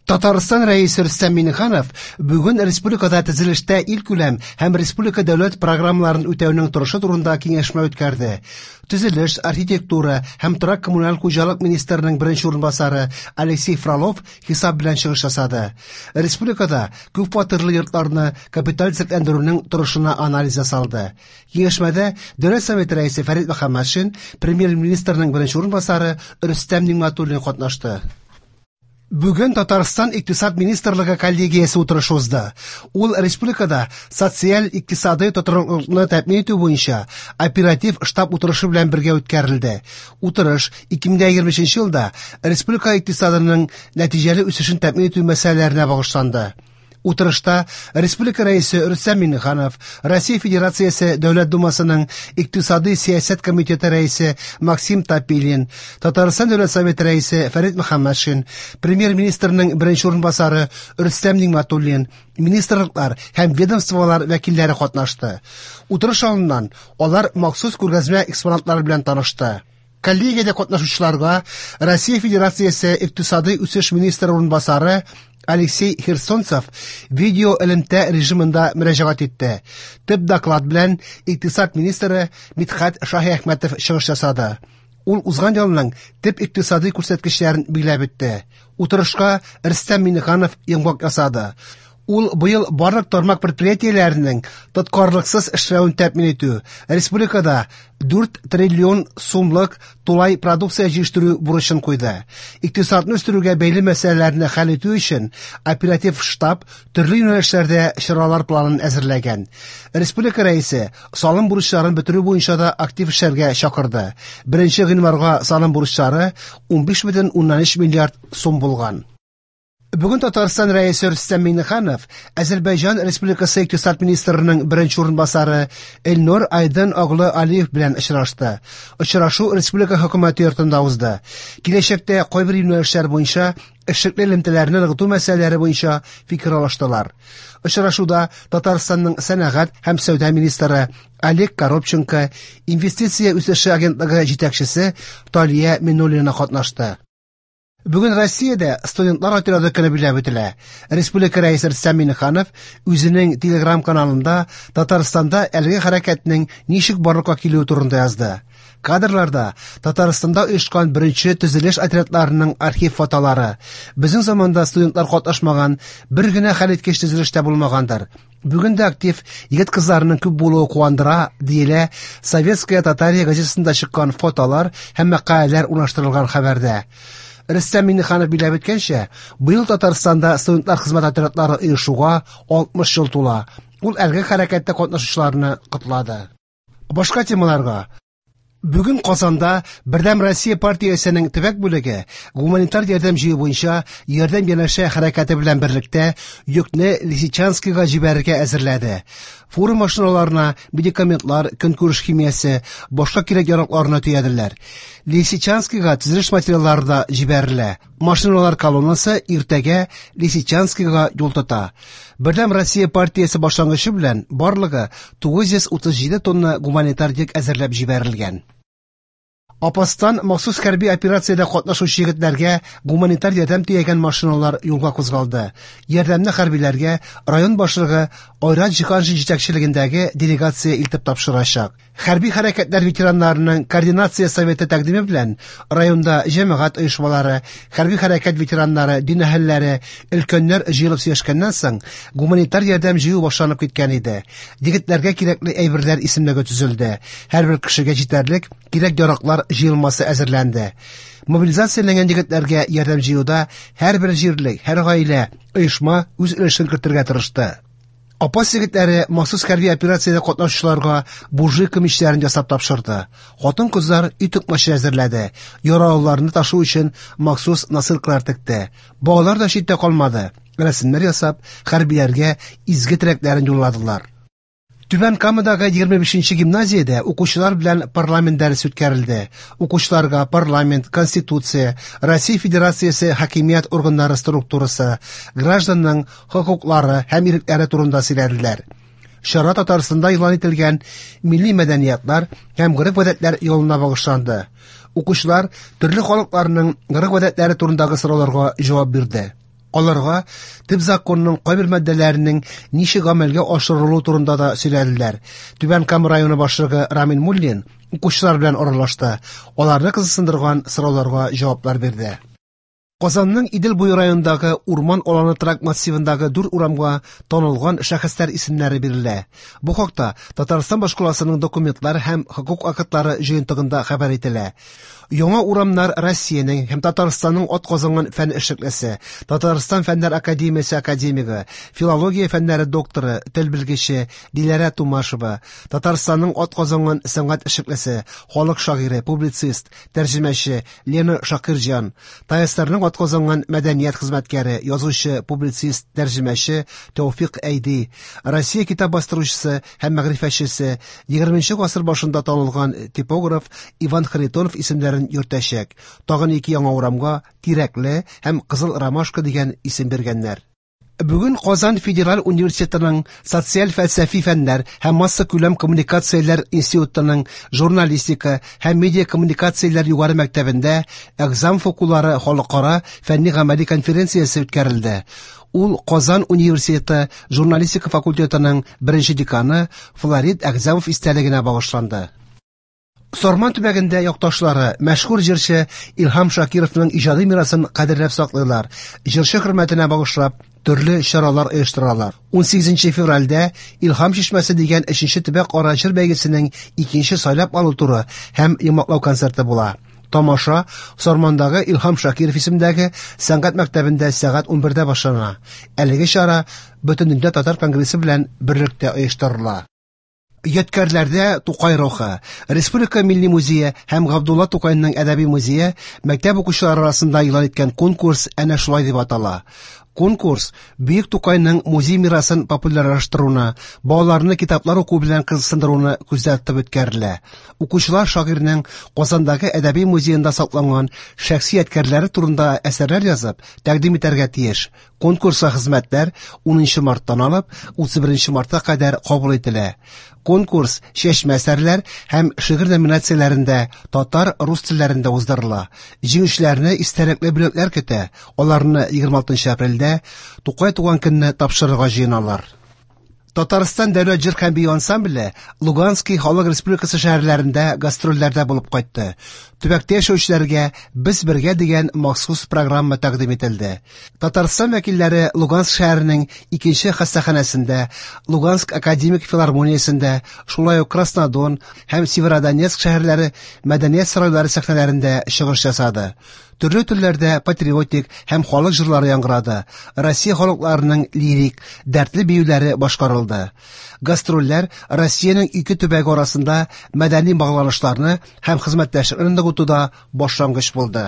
Татарстан Рәисе Рөстәм Миңнеханов бүген республикада төзелештә илкүләм һәм республика дәүләт программаларын үтәүнең торышы турында киңәшмә үткәрде. Төзелеш, архитектура һәм торак-коммуналь хуҗалык министрының беренче урынбасары Алексей Фролов хисап белән чыгыш ясады. Республикада күпфатирлы йортларны капиталь төзекләндерүнең торышына анализ ясалды. Киңәшмәдә Дәүләт Советы Рәисе Фәрит Мөхәммәтшин, Премьер-министрның беренче урынбасары Рөстәм Нигъмәтуллин катнашты. Бүген Татарстан Икътисад министрлыгы коллегиясе утырышы узды. Ул республикада социаль-икътисадый тотрыклылыкны тәэмин итү буенча оператив штаб утырышы белән бергә үткәрелде. Утырыш 2023 елда республика икътисадының нәтиҗәле үсешен тәэмин итү мәсьәләләренә багышланды. Утырышта Республика Рәисе Рөстәм Миңнеханов, Россия Федерациясе Дәүләт Думасының Икътисадый сәясәт комитеты рәисе Максим Топилин, Татарстан Дәүләт Советы рәисе Фәрит Мөхәммәтшин, Премьер-министрның беренче урынбасары Рөстәм Нигъмәтуллин, министрлыклар һәм ведомстволар вәкилләре катнашты. Утырыш алдыннан алар махсус күргәзмә экспонатлары белән танышты. Коллегиядә катнашучыларга Россия Федерациясе Икътисадый үсеш министры урынбасары Алексей Херсонцев видео элемтә режимында мөрәҗәгать итте. Төп доклад белән икътисад министры Мидхәт Шаһиәхмәтов чыгыш ясады. Ул узган елның төп икътисадый күрсәткечләрен билгеләп үтте. Утырышка Рөстәм Миңнеханов йомгак ясады. Ул быел барлык тармак предприятиеләренең тоткарлыксыз эшләвен тәэмин итү, республикада 4 триллион сумлык тулай продукция җитештерү бурычын куйды. Икътисадны үстерүгә бәйле мәсьәләләрне хәл итү өчен оператив штаб төрле юнәлешләрдә чаралар планын әзерләгән. Республика Рәисе салым бурычларын бетерү буенча да актив эшләргә чакырды. 1 гыйнварга салым бурычлары 15,3 миллиард сум булган. Бүген Татарстан Рәисе Рөстәм Миңнеханов Әзербайҗан Республикасы икътисад министрының беренче урынбасары Эльнур Айдын оглы Алиев белән очрашты. Очрашу республика хөкүмәте йортында узды. Киләчәктә кайбер юнәлешләр буенча эшлекле элемтәләрне ныгыту мәсьәләләре буенча фикер алыштылар. Очрашуда Татарстанның сәнәгать һәм сәүдә министры Олег Коробченко, инвестиция үсеше агентлыгы җитәкчесе Талия Минуллина катнашты. Бүген Россиядә студентлар отряды көне билгеләп үтелә. Республика Рәисе Рөстәм Миңнеханов үзенең Telegram каналында Татарстанда әлеге хәрәкәтнең ничек барлыкка килүе турында язды. Кадрларда Татарстанда оешкан беренче төзелеш отрядларының архив фотолары. Безнең заманда студентлар катнашмаган бер генә хәлиткеч төзелеш тә булмагандыр. Бүген дә актив егет-кызларның күп булуы куандыра, диелә Советская Татария газетасында чыккан фотолар һәм мәкаләләр урнаштырылган хәбәрдә. Рөстәм Миңнеханов билгеләп үткәнчә, быел Татарстанда студентлар хезмәт отрядлары оешуга 60 ел тула. Ул әлеге хәрәкәттә катнашучыларны котлады. Башка темаларга. Бүген Казанда Бердәм Россия партиясенең төбәк бүлеге гуманитар ярдәм җыю буенча Ярдәм янәшә хәрәкәте белән берлектә йөкне Лисичанскига җибәрергә әзерләде. Фура машиналарына медикаментлар, көнкүреш химиясе, башка кирәк-яракларны төяделәр. Лисичанскига төзелеш материаллары да җибәрелә. Машиналар колоннасы иртәгә Лисичанскига юл тота. Бердәм Россия партиясе башлангычы белән барлыгы 937 тонна гуманитар йөк әзерләп җибәрелгән. Апастан махсус хәрби операциядә катнашучы егетләргә гуманитар ярдәм төягән машиналар юлга кузгалды. Ярдәмне хәрбиләргә район башлыгы Айрат Җиһаншин җитәкчелегендәге делегация илтеп тапшырачак. Хәрби хәрәкәтләр ветераннарының координация советы тәкъдиме белән районда җәмәгать оешмалары, хәрби хәрәкәт ветераннары, дин әһелләре, өлкәннәр җыелып сөйләшкәннән соң гуманитар ярдәм җыю башланып киткән иде. Егетләргә кирәкле әйберләр исемлеге төзелде. Һәрбер кешегә җитәрлек кирәк-яраклар җыелмасы әзерләнде. Мобилизацияләнгән егетләргә ярдәм җыюда һәрбер җирлек, һәр гаилә, оешма үз өлешен кертергә тырышты. Апас егетләре махсус хәрби операциядә катнашучыларга буржуйка мичләрен ясап тапшырды. Хатын-кызлар өй токмачы әзерләде. Яралыларны ташу өчен махсус носилкалар текте. Балалар да читтә калмады. Рәсемнәр ясап, хәрбиләргә изге теләкләрен юлладылар. Түбән Камадагы 25 гимназиядә укучылар белән парламент дәресе үткәрелде. Укучыларга парламент, конституция, Россия Федерациясе хакимият органнары структурасы, гражданның хокуклары һәм ирекләре турында сөйләделәр. Чара Татарстанда игълан ителгән милли мәдәниятлар һәм гореф-гадәтләр елына багышланды. Укучылар төрле халыкларның гореф-гадәтләре турындагы сорауларга җавап бирде. Аларга төп законның кайбер маддәләренең ничек гамәлгә ашырылуы турында да сөйләделәр. Түбән Кама районы башлыгы Рамил Муллин укучылар белән аралашты, аларны кызыксындырган сорауларга җаваплар бирде. Казанның Идел буе районындагы Урман аланы торак массивындагы дүрт урамга танылган шәхесләр исемнәре бирелә. Бу хакта Татарстан башкаласының документлар һәм хокук актлары җыентыгында хәбәр ителә. Яңа урамнар Россиянең һәм Татарстанның атказанган фән эшлеклесе, Татарстан Фәннәр академиясе академигы, филология фәннәре докторы, тел белгече Диләрә Тумашева, Татарстанның атказанган сәнгать эшлеклесе, халык шагыйре, публицист, тәрҗемәче Лена Шакирҗан, ТАССРның атказанган мәдәният хезмәткәре, язучы, публицист, тәрҗемәче Тәүфикъ Әйди, Россия китап бастыручысы һәм мәгърифәтчесе, 20 гасыр башында танылган типограф Иван Харитонов исемнәрен йөртәчәк. Тагын ике яңа урамга Тирәкле һәм Кызыл ромашка дигән исем биргәннәр. Бүген Казан федераль университетының социаль-фәлсәфи фәннәр һәм массакүләм коммуникацияләр институтының журналистика һәм медиакоммуникацияләр югары мәктәбендә Әгъзам укулары халыкара фәнни-гамәли конференциясе үткәрелде. Ул Казан университеты журналистика факультетының беренче деканы Флорид Әгъзамов истәлегенә багышланды. Сарман төбәгендә якташлары мәшһүр җырчы Илһам Шакировның иҗади мирасын кадерләп саклыйлар. Җырчы хөрмәтенә багышлап төрле чаралар оештыралар. 18 февральдә Илһам чишмәсе дигән 3нче төбәк-ара җыр бәйгесенең икенче сайлап алу туры һәм йомгаклау концерты була. Тамаша Сармандагы Илһам Шакиров исемендәге сәнгать мәктәбендә сәгать 11дә башлана. Әлеге чара Бөтендөнья татар конгрессы белән берлектә оештырыла. Ядкәрләрдә Тукай рухы. Республика Милли музее һәм Габдулла Тукайның әдәби музее мәктәп укучылары арасында игълан иткән конкурс әнә шулай дип атала. Конкурс Бөек Тукайның музей мирасын популярлаштыруны, балаларны китаплар уку белән кызыксындыруны күздә тотып үткәрелә. Укучылар шагыйрьнең Казандагы әдәби музеенда сакланган шәхси ядкәрләре турында әсәрләр язып, тәкъдим итәргә тиеш. Конкурска хезмәтләр 10 марттан алып 31 мартка кадәр кабул ителә. Конкурс чәчмә әсәрләр һәм шигырь номинацияләрендә татар, рус телләрендә уздырыла. Җиңүчеләрне истәлекле бүләкләр көтә. Аларны 26 апрельдә Тукай туган көнне тапшырырга җыеналар. Татарстан дәүләт җыр һәм бию ансамбле Луганский халык республикасы шәһәрләрендә гастрольләрдә булып кайтты. Төбәктә яшәүчеләргә Без бергә дигән махсус программа тәкъдим ителде. Татарстан вәкилләре Луганск шәһәренең икенче хастаханәсендә, Луганск академик филармониясендә, шулай ук Краснодон һәм Северодонецк шәһәрләре мәдәният сарайлары сәхнәләрендә чыгыш ясады. Төрле телләрдә патриотик һәм халык җырлары яңгырады. Россия халыкларының лирик, дәртле биюләре башкарылды. Гастрольләр Россиянең ике төбәге арасында мәдәни багланышларны һәм хезмәттәшлекне ныгытуда башлангыч булды.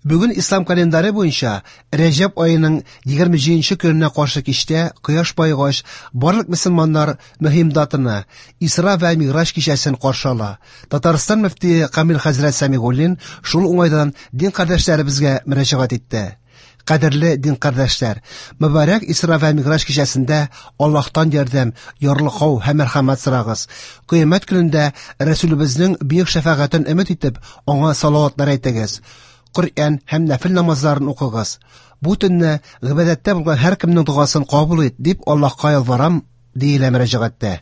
Бүген ислам календаре буенча Рәҗәб аеның 27 көненә каршы кичтә кояш баегач барлык мөселманнар мөһим датаны Исра вә Миграҗ кичәсен каршы ала. Татарстан мөфтие Камил хәзрәт Сәмигуллин шул уңайдан дин кардәшләребезгә мөрәҗәгать итте. Кадерле дин кардәшләр, мөбарәк Исра вә Миграҗ кичәсендә Аллаһтан ярдәм, ярлыкау һәм мәрхәмәт сорагыз. Кыямәт көнендә Рәсүлебезнең бөек шәфәгатен өмет итеп, аңа салаватлар әйтегез. Коръән һәм нәфил намазларын укыгыз. Бу төнне гыйбадәттә булган һәркемнең догасын кабул ит, дип Аллаһка ялварам, диелә мөрәҗәгатьтә.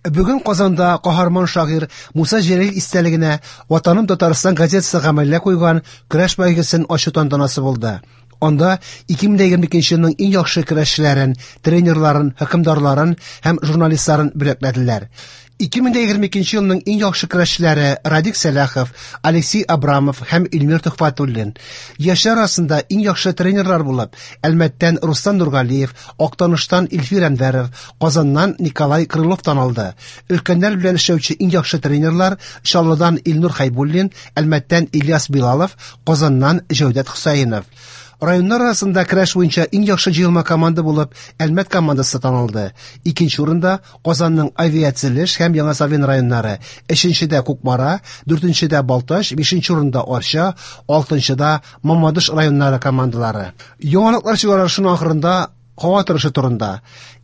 Бүген Казанда каһарман шагыйрь Муса Җәлил истәлегенә Ватаным Татарстан газетасы гамәлгә куйган көрәш бәйгесен ачу тантанасы булды. Анда 2022 елның иң яхшы көрәшчеләрен, тренерларын, хөкемдарларын һәм журналистларын бүләкләделәр. 2022 елның иң яхшы көрәшчеләре Радик Сәлахов, Алексей Абрамов һәм Илмир Төхфәтуллин. Яшьләр арасында иң яхшы тренерлар булып Әлмәттән Рустам Нургалиев, Актаныштан Илфир Әнвәров, Казаннан Николай Крылов танылды. Өлкәннәр белән эшләүче иң яхшы тренерлар Чаллыдан Илнур Хәйбуллин, Әлмәттән Ильяс Билалов, Казаннан Җәүдәт Хөсәенов. Районнар арасында көрәш буенча иң яхшы җыелма команда булып Әлмәт командасы танылды. Икенче урында Казанның Авиацелеш һәм Яңа Савин районнары, өченчедә Кукмара, дүртенчедә Балтач, бишенче урында Арча, алтынчыда Мамадыш районнары командалары. Яңалыклар чыгарылышының ахырында һава торышы турында.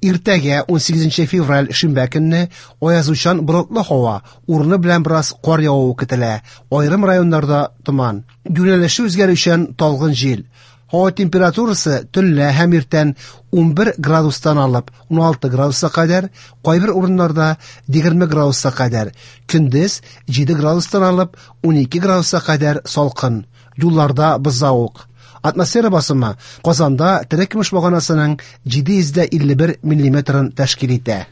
Иртәгә 18 февраль шимбә көнне аязучан болытлы һава, урыны белән бераз кар явуы көтелә. Аерым районнарда томан. Юнәлеше үзгәрүчән талгын җил. Һава температурасы төнлә һәм иртән 11 градустан алып 16 градуска кадәр, кайбер урыннарда 20 градуска кадәр, көндез 7 градустан алып 12 градуска кадәр салкын. Юлларда бозлавык. Атмосфера басымы Казанда терекөмеш баганасының 751 миллиметрын тәшкил итә.